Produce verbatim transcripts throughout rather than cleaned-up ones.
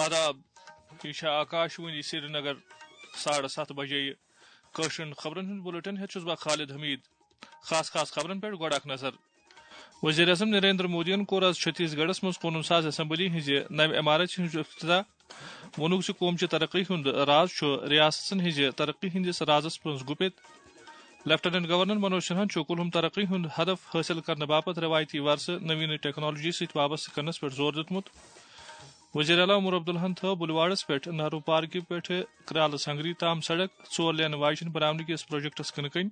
آداب، یہِ چھےٚ آکاش وانی سرینگر۔ ساڑٕ ستھ بجے۔ کٲشرٮ۪ن خبرن ہُنٛد بُلٹن ہٮ۪تھ چھُس بہٕ خالد حمید۔ خاص خاص خبرن پٮ۪ٹھ گۄڈٕ اکھ نظر۔ وزیر اعظم نریندر مودیَن کوٚر آز چھتیس گڑھس منٛز قونوٗن ساز اسمبلی ہٕنٛزِ نوِ عمارژِ ہُنٛد افتتاح۔ ووٚنُکھ زِ قوم چہِ ترقی ہُنٛد راز چھُ ریاستن ہٕنٛزِ ترقی ہٕنٛدِس رازس منٛز گُپِت۔ لیفٹیننٹ گورنر منوج سنہاہن چھُ کُلہُم ترقی ہُنٛد ہدف حٲصِل کرنہٕ باپتھ رٮ۪وایتی ورثہٕ نوین ٹیکنالوجی سۭتۍ وابستہٕ کرنس پٮ۪ٹھ زور دیُتمُت۔ وزیر اعلیٰ عمر عبداللہن تھٲو بُلواڑس پٮ۪ٹھ نہرو پارکہِ پٮ۪ٹھٕ کرالہٕ سنگری تام سڑک ژور لینہٕ واجٮ۪ن بناونہٕ کِس پروجیکٹس کٕنہٕ کٔنۍ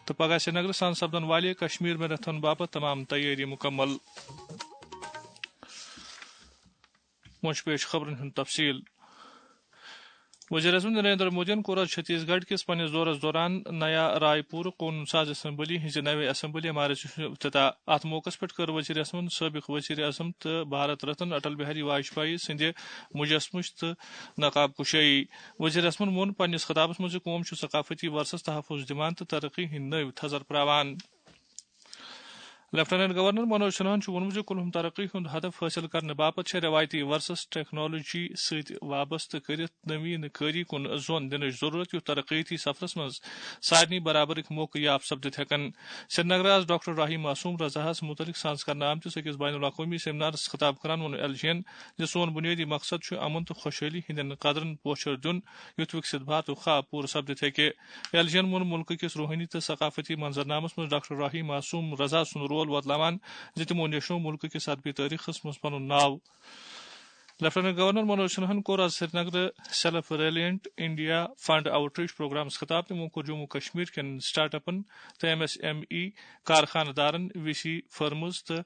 تہٕ پگاہ سرینگرٕ سان سپدن والہِ کشمیر میراتھن باپتھ تمام تیٲری مکمل۔ وۄنۍ چھُ پیش خبرن ہُنٛد تفصیل۔ وزیر اعظم نریندر مودیَن کوٚر آز چھتیس گڑھ کِس پننِس دورس دوران نیا رائے پور قونوٗن ساز اسمبلی ہٕنٛزِ نوِ اسمبلی عمارژِ ہُنٛد افتتاح۔ اتھ موقعس پٮ۪ٹھ کٔر وزیر اعظمن سٲبق وزیر اعظم تہٕ بھارت رتن اٹل بہاری واجپایی سٕنٛدِ مجسمٕچ تہٕ نقاب کشٲیی۔ وزیر اعظمن ووٚن پننِس خطابس منٛز زِ قوم چھُ ثقافتی ورثس تحفظ دِوان تہٕ ترقی ہٕنٛدۍ نٔوۍ تھزر پراوان۔ لیفٹیننٹ گورنر منوج سنہاہن چھُ ووٚنمُت زِ کُلہُم ترقی ہُنٛد ہدف حٲصِل کرنہٕ باپتھ چھےٚ رٮ۪وایتی ورثس ٹیکنالوجی سۭتۍ وابستہٕ کٔرِتھ نوین کٲری کُن زون دِنٕچ ضروٗرت، یُتھ ترقیتی سفرس منٛز سارنٕے برابرٕکۍ موقعہٕ یاب سپدِتھ ہٮ۪کن۔ سرینگرٕ آز ڈاکٹر راہی معصوم رضاہس مُتعلق سانس کرنہٕ آمتِس أکِس بین الاقوٲمی سیمنارس خطاب کران ووٚن ایل جی یَن زِ سون بُنیٲدی مقصد چھُ امن تہٕ خۄشحٲلی ہٕنٛدٮ۪ن قدرن پوچھر دیُن، یُتھ وِکسِت بھارتُک خواب پوٗرٕ سپدِتھ ہیٚکہِ۔ ایل جی یَن ووٚن مُلکہٕ کِس روحٲنی تہٕ ثقافتی منظرنامس منٛز ڈاکٹر راہی معصوم رضا سُنٛد رول وۄتلاوان زِ تِمو نیشنوو مُلکہٕ کِس ادبی تٲریخس منٛز پنُن ناو۔ لیفٹیننٹ گورنر منوج سنہاہن کوٚر آز سرینگرٕ self reliant India fund outreach programmes خطاب۔ تِمو کوٚر جموں کشمیر کٮ۪ن سٹارٹ اپن تہٕ ایم ایس ایم ای کارخانہٕ دارن، وی سی فرمز تہٕ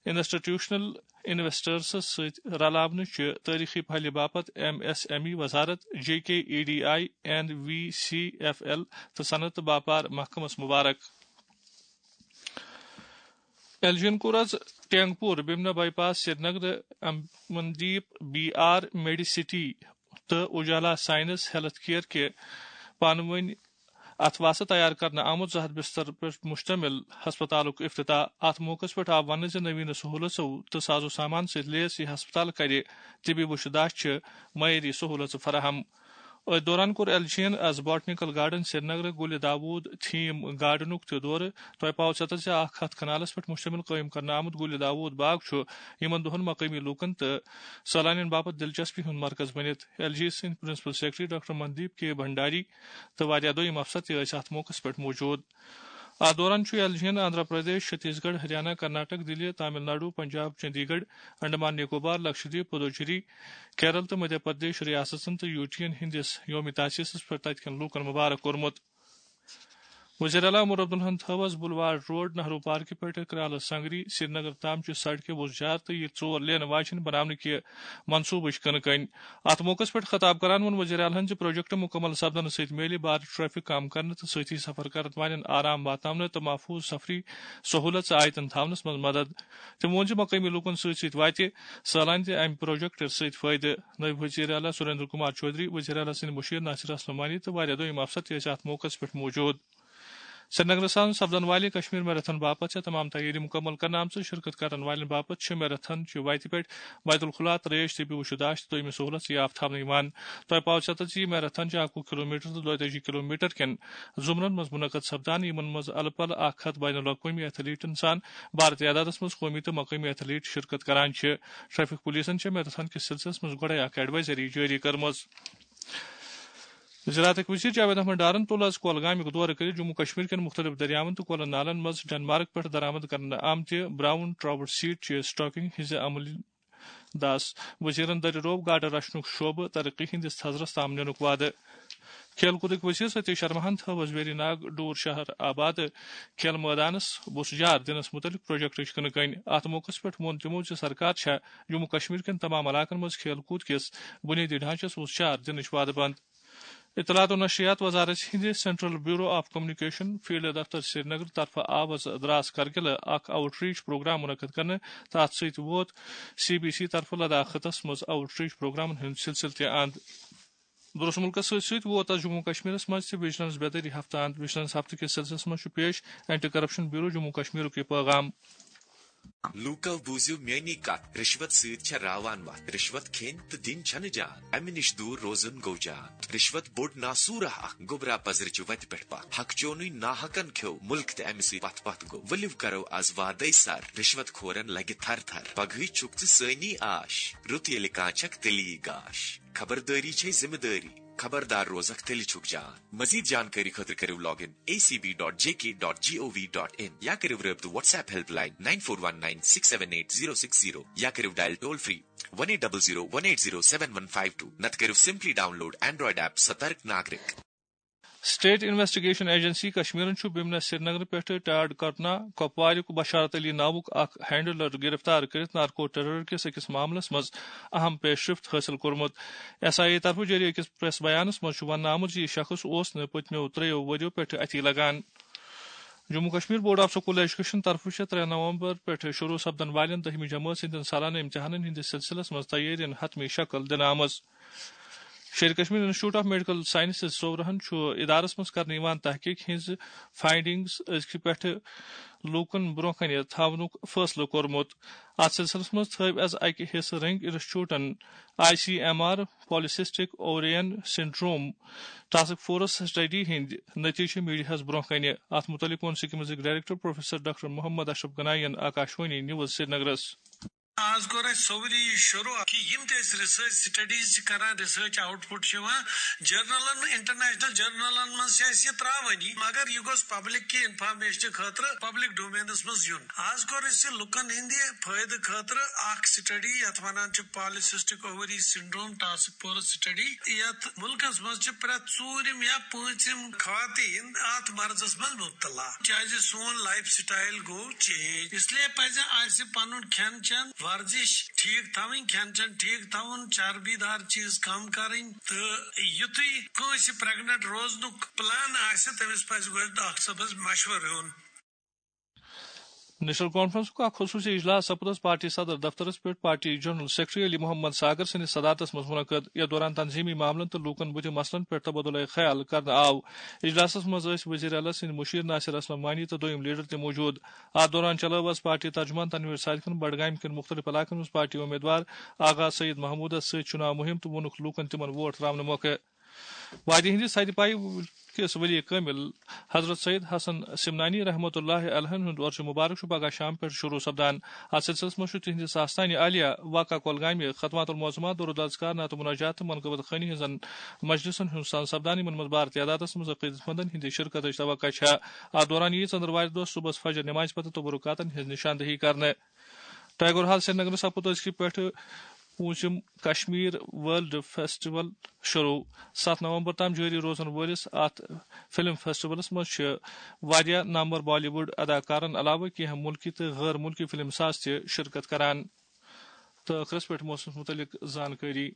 انسٹیٹیوشنل انویسٹرس سۭتۍ رلاونہٕ چہِ تٲریخی پھلہِ باپتھ ایم ایس ایم ای وزارت، J K E D I and V C F L تہٕ صنعت تہٕ باپار محکمس مبارک۔ ایل جی یَن کوٚر آز Tengpora Bemina bypass Srinagar Amandeep B R medicity تہٕ اجالا سائنس ہیلتھ کیئر کہِ پانہٕ ؤنۍ اتھ واسطہٕ تیار کرنہٕ آمُت زٕ ہتھ بستر پٮ۪ٹھ مشتمل ہسپتالُک افتتاح۔ اتھ موقعس پٮ۪ٹھ آو وننہٕ زِ نوین سہولژو تہٕ ساز و سامان سۭتۍ لیس یہِ ہسپتال کرِ طبی وُچھ داشت چہِ معیٲری سہولژٕ فراہم۔ أتھۍ دوران کوٚر ایل جی یَن آز باٹنیکل گارڈن سرینگرٕ گُلہِ داوود تھیم گارڈنُک تہِ دورٕ۔ تۄہہِ پاوٕ ژٮ۪تس زِ اکھ ہتھ کنالس پٮ۪ٹھ مشتمل قٲیِم کرنہٕ آمُت گُلہِ داوود باغ چھُ یِمن دۄہن مقٲمی لوٗکن تہٕ سٲلانین باپتھ دلچسپی ہُنٛد مرکز بٔنِتھ۔ ایل جی سٕنٛدۍ پرنسپل سیکرٹری ڈاکٹر مندیپ کے بھنڈاری تہٕ واریاہ دوٚیِم افسر تہِ ٲسۍ اتھ موقعس پٮ۪ٹھ موجود۔ اتھ دوران چھُ ایل جی یَن آندھرا پردیش، چھتیس گڑھ، ہریانہ، کرناٹک، دِلہِ، تامل ناڈو، پنجاب، چندی گڑھ، انڈمان نکوبار، لکشدیپ، پدوچیری، کیرل تہٕ مدھیہ پردیش ریاستن تہٕ یوٗٹین ہٕنٛدِس یوم تاسیسس پٮ۪ٹھ تتہِ کٮ۪ن لوٗکن مبارک کوٚرمُت۔ وزیر اعلیٰ عمر عبداللہن تھٲو آز بلوار روڈ نہرو پارکہِ پٮ۪ٹھ کرالہٕ سنگری سرینگر تام چہِ سڑکہِ وُزجار تہٕ یہِ ژور لینہٕ واجٮ۪ن بناونہٕ کہِ منصوبٕچ کٕنہٕ کٔنۍ۔ اتھ موقعس پٮ۪ٹھ خطاب کران ووٚن وزیر اعلیٰ ہن زِ پروجیکٹ مکمل سپدنہٕ سۭتۍ میلہِ بھارت ٹریفک کم کرنہٕ تہٕ سۭتی سفر کرن والٮ۪ن آرام واتناونہٕ تہٕ محفوظ سفری سہولژ آیتن تھاونس منٛز مدد۔ تٔمۍ ووٚن زِ مقٲمی لوٗکن سۭتۍ سۭتۍ واتہِ سٲلانہِ تہِ امہِ پروجیکٹ سۭتۍ فٲیدٕ۔ نٲیِب وزیر اعلیٰ سریندر کمار چودھری، وزیر اعلیٰ سٕنٛدۍ مُشیر ناصر اسلم وانی تہٕ واریاہ دوٚیِم افسر تہِ ٲسۍ اتھ موقعس پٮ۪ٹھ موجود۔ سرینگرس منٛز سپدن والہِ کشمیر میراتھن باپتھ چھےٚ تمام تیٲری مکمل کرنہٕ آمژٕ۔ شرکت کرن والٮ۪ن باپتھ چھِ میراتھن چہِ وتہِ پٮ۪ٹھ بیت الخلا، ترٛیش، طبی وُچھ داشت تہٕ دوٚیمہِ سہولژ یافتہٕ تھاونہٕ یِوان۔ تۄہہِ پاوٕ ژٮ۪تس زِ یہِ میراتھن چھُ اکوُہ کلومیٹر تہٕ دۄیتٲجی کلومیٹر کٮ۪ن زمرن منٛز منعقد سپدان، یِمن منٛز الہٕ پلہٕ اکھ ہتھ بین الاقوٲمی ایتھلیٹن سان بھارتی عدادس منٛز قومی تہٕ مقٲمی ایتھلیٹ شرکت کران چھِ۔ ٹریفک پولیسن چھےٚ میراتھن کِس سلسلس منٛز گۄڈے اکھ ایڈوائزری جٲری کٔرمٕژ۔ زراعتٕکۍ وزیر جاوید احمد ڈارن تُل آز کۄلگامیُک دورٕ کٔرِتھ جموں کشمیر کٮ۪ن مُختٔلِف دٔریاون تہٕ کۄلن نالن منٛز ڈنمارک پٮ۪ٹھ درآمد کرنہٕ آمتہِ براؤن ٹراؤٹ سیڈ چہِ سٹاکنگ ہٕنٛزِ عملی دس۔ وزیرن دٔرِ روو گاڈٕ رچھنُک شعبہٕ ترقی ہٕنٛدِس تھزرس تام نِنُک وعدٕ۔ کھیل کوٗدٕکۍ وزیر ستیش شرماہن تھٲو آز ویری ناگ ڈور شہر آباد کھیل مٲدانس وُژھ جار دِنس مُتعلق پروجیکٹٕچ کٕنہٕ کٔنۍ۔ اتھ موقعس پٮ۪ٹھ ووٚن تِمو زِ سرکار چھےٚ جموں کشمیر کٮ۪ن تمام علاقن منٛز کھیل کوٗد کِس بُنیٲدی ڈھانچس وُژھ جار دِنٕچ وعدٕ بنٛد۔ اطلاعات و نشریات وزارت ہٕنٛدِ central bureau of communication field دفتر سرینگر طرفہٕ آو آز دراس کرگلہٕ اکھ آؤٹ ریچ پروگرام منعقد کرنہٕ تہٕ اتھ سۭتۍ ووت سی بی سی طرفہٕ لداخ خطس منٛز آؤٹ ریچ پروگرامن ہُنٛد سلسلہٕ تہِ اند۔ درس مُلکس سۭتۍ سۭتۍ ووت آز جموں کشمیرس منٛز تہِ وجلنس بیدٲری ہفتہٕ اند۔ وجلنس ہفتہٕ کِس سلسلس منٛز چھُ پیش اینٹی کرپشن بیورو جموں کشمیرُک یہِ پیغام۔ لوٗکو بوٗزِو میٲنی کتھ، رشوت سۭتۍ چھےٚ راوان وتھ۔ رشوت کھیٚنۍ تہٕ دِنۍ چھنہٕ جان، امہِ نِش دوٗر روزُن گوٚو جان۔ رشوت بوٚڑ ناسوٗرہ اکھ، گوٚبرا پزرٕچہِ وتہِ پٮ۪ٹھ پتھ۔ حق چونُے ناحقن کھیوٚو مُلک تہٕ امہِ سۭتۍ پتھ پتھ گوٚو۔ ؤلِو کرو از وادے سر، رشوت کھورن لگہِ تھر تھر۔ پگہٕے چھُکھ ژٕ سٲنی آش، رُت ییٚلہِ کانٛہہ چھکھ تیٚلی گاش۔ خبردٲری چھے ذمہٕ دٲری، خبردار روزکھ تیٚلہِ چھُکھ جان۔ مزید جانکٲری خٲطرٕ کٔرِو log in A C B dot J K dot G O V dot in یا کٔرِو رٲبطہٕ WhatsApp helpline nine four one nine six seven eight zero six zero یا کٔرِو dial toll free one eight double zero one eight zero seven one five two، نتہٕ کٔرِو simply download Android app Satark Nagrik. State investigation agency کشمیرن چھُ بمنہ سرینگر پٮ۪ٹھٕ Tod کرتنا کپواریُک بشارت علی ناوُک اکھ handler گرفتار کٔرِتھ نارکو ٹیرر کِس أکِس معاملس منٛز اہم پیش رفت حٲصِل کوٚرمُت۔ ایس آئی اے طرفہٕ جٲری أکِس پریس بیانس منٛز چھُ وننہٕ آمُت زِ یہِ شخص اوس نہٕ پٔتمیو ترٛیٚیو ؤرِیو پٮ۪ٹھٕ اَتھی لگان۔ Jammu Kashmir board of school education طرفہٕ چھےٚ ترٛےٚ نومبر پٮ۪ٹھٕ شروع سپدن والٮ۪ن دٔہمہِ جمٲژ ہٕنٛدٮ۪ن سالانہٕ امتحانن ہٕنٛدِس سلسلس منٛز تیٲرین حتمی شکل دِنہٕ آمٕژ۔ Sher-i-Kashmir institute of medical sciences صوورہن چھُ ادارس منٛز کرنہٕ یِوان تحقیق ہٕنٛز فائنڈنگز أزکہِ پٮ۪ٹھٕ لوٗکن برونٛہہ کنہِ تھاونُک فٲصلہٕ کوٚرمُت۔ اتھ سلسلس منٛز تھٲوۍ از اکہِ حصہٕ رنگ انسٹیٹیوٹن I C M R polycystic ovarian syndrome task force study ہٕنٛدۍ نتیجہٕ میڈیاہس برونٛہہ کنہِ۔ اتھ متعلق ووٚن سکمزٕکۍ director professor doctor Mohammad Ashraf Ganai ین آکاشوانی نیوز سرینگرس۔ آز کوٚر اَسہِ سورُے یہِ شروٗع کہِ یِم تہِ أسۍ ریسرچ سٹڈیٖز چھِ کران، ریسرچ آوُٹ پُٹ چھُ یِوان جرنلن، انٹرنیشنل جرنلن منٛز چھِ اَسہِ یہِ ترٛاوٲنی، مگر یہِ گوٚژھ پبلک کہِ انفارمیشن خٲطرٕ پبلک ڈومینس منٛز یُن۔ آز کوٚر اَسہِ لُکن ہٕنٛدِ فٲیدٕ خٲطرٕ اکھ سٹڈی، یتھ ونان چھِ polycystic ovary syndrome task force study, یتھ مُلکس منٛز چھِ پرٛٮ۪تھ ژوٗرِم یا پوٗنٛژِم خواتین اتھ مرضس منٛز مبتلا، کیازِ سون لائف سٹائل گوٚو چینج۔ اس لیے پزِ اسہِ پنُن کھٮ۪ن چٮ۪ن، ورزش ٹھیک تھاوٕنۍ، کھٮ۪ن چٮ۪ن ٹھیک تھاوُن، چربی دار چیز کم کرٕنۍ، تہٕ یُتھُے کٲنٛسہِ پریگننٹ روزنُک پلان آسہِ، تٔمِس پزِ گۄڈٕ ڈاکٹر صٲبس مشورٕ ہیوٚن۔ نیشنل کانفرنسُک اکھ خصوٗصی اجلاس سپُد از پارٹی صدر دفترس پٮ۪ٹھ party general secretary Ali Mohammad Sagar سٕنٛدِس صدارتس منٛز منعقد، یتھ دوران تنظیمی معاملن تہٕ لوٗکن بُتھِ مسلن پٮ۪ٹھ تبادلہ خیال کرنہٕ آو۔ اجلاسس منٛز ٲسۍ وزیر اعلیٰ سٕنٛدۍ مشیر ناصر اسلم وانی تہٕ دوٚیِم لیڈر تہِ موجود۔ اتھ دوران چلٲو از پارٹی ترجمان تنویر صادقن بڈگامہِ کٮ۪ن مُختٔلِف علاقن منٛز پارٹی امیدوار آغا سعید محمودس سۭتۍ چُناو مُہِم تہٕ ووٚنُکھ لوٗکن تِمن ووٹ تراونہٕ موقعہٕ۔ وادی ہٕنٛدِس سدِ پایہِ کِس ؤری کٲمِل حضرت سید حسن سمنانی رحمۃ اللہ علیہ ہُنٛد عرس مبارک چھُ پگاہ شام پٮ۪ٹھ شروع سپدان۔ اتھ سلسلس منٛز چھُ تِہنٛدِس آستانہِ عالیہ واقع کۄلگامہِ ختمات المعظمات، درود اذکار، نعت و مناجات تہٕ منقبت خوانی ہٕنٛزن مجلسن ہُنٛد سان سپدان، یِمن منٛز بار تعدادس منٛز عقیدت مندن ہٕنٛدِ شرکتٕچ توقع چھےٚ۔ اتھ دوران یِیہِ ژٔندٕروارِ دۄہ صبحس فجر نمازِ پتہٕ تبرکاتن ہٕنٛز نشاندہی کرنہٕ۔ ٹیگور ہال سرینگرس سپُد أزکہِ پٮ۪ٹھٕ پوٗنٛژِم کشمیر ورلڈ فیسٹیول شروع۔ ستھ نومبر تام جٲری روزن وٲلِس اتھ فلم فیسٹیولس منٛز چھِ واریاہ نامور بالی ووڈ اداکارن علاوٕ کینٛہہ مُلکی تہٕ غٲر مُلکی فلم ساز تہِ شرکت کران۔ تہٕ ٲخرس پٮ۪ٹھ موسمس مُتعلق زانکٲری۔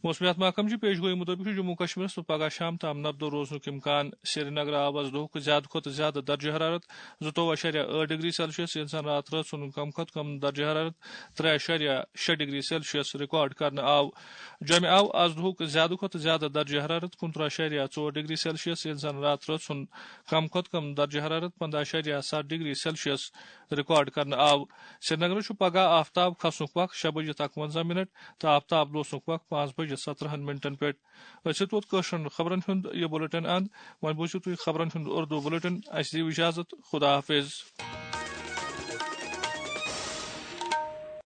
موسمیات محکمہٕ چہِ پیش گویی مُطٲبِق چھُ جموں کشمیرس منٛز پگہہ شام تام نبدو روزنُک امکان۔ سرینگر آو از دۄہُک زیادٕ کھۄتہٕ زیادٕ درجہ حرارت زٕتووُہ اَشاریہ ٲٹھ ڈگری سیلسیس، ییٚلہِ زن راتھ رٲژ ہُنٛد کم کھۄتہٕ کم درجہ حرارت ترٛےٚ اَشاریہ شےٚ ڈگری سیلسیس ریکارڈ کرنہٕ آو۔ جوٚمہِ آو از دۄہُک زیادٕ کھۄتہٕ زیادٕ درجہ حرارت کُنترٕہ اَشاریہ ژور ڈگری سیلسیس، ییٚلہِ زن راتھ رٲژ ہُنٛد کم کھۄتہٕ کم درجہ حرارت پنٛداہ اَشاریہ ستھ ڈگری سیلسیس ریکارڈ کرنہٕ آو۔ سرینگرس چھُ پگہہ آفتاب کھسنُک وق شےٚ بجے تہٕ اَکوَنزاہ منٹ تہٕ آفتاب لوسنُک وق پانٛژھ بجے سترٛہن منٹن پٮ۪ٹھ۔ أسۍ چھِ توت کٲشرٮ۪ن خبرن ہُنٛد یہِ بُلٹن اند۔ وۄنۍ بوٗزِو تُہۍ خبرن ہُنٛد اردو بُلٹن۔ اَسہِ دِیِو اجازت۔ خدا حافظ۔